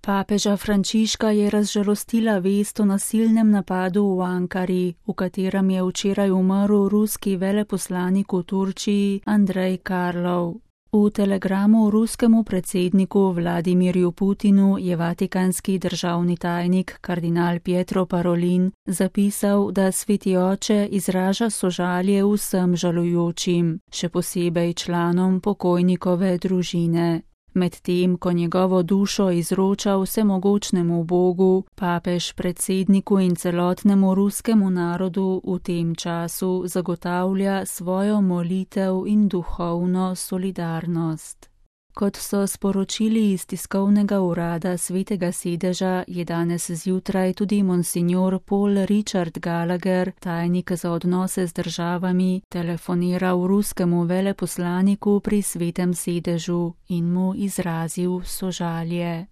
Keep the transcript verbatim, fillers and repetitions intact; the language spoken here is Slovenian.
Papeža Frančiška je razžalostila vest o nasilnem napadu v Ankari, v katerem je včeraj umrl ruski veleposlanik v Turčiji Andrej Karlov. V telegramu ruskemu predsedniku Vladimirju Putinu je vatikanski državni tajnik kardinal Pietro Parolin zapisal, da Sveti oče izraža sožalje vsem žalujočim, še posebej članom pokojnikove družine. Medtem, ko njegovo dušo izroča vsemogočnemu Bogu, papež predsedniku in celotnemu ruskemu narodu v tem času zagotavlja svojo molitev in duhovno solidarnost. Kot so sporočili iz tiskovnega urada Svetega sedeža, je danes zjutraj tudi monsignor Paul Richard Gallagher, tajnik za odnose z državami, telefoniral ruskemu veleposlaniku pri Svetem sedežu in mu izrazil sožalje.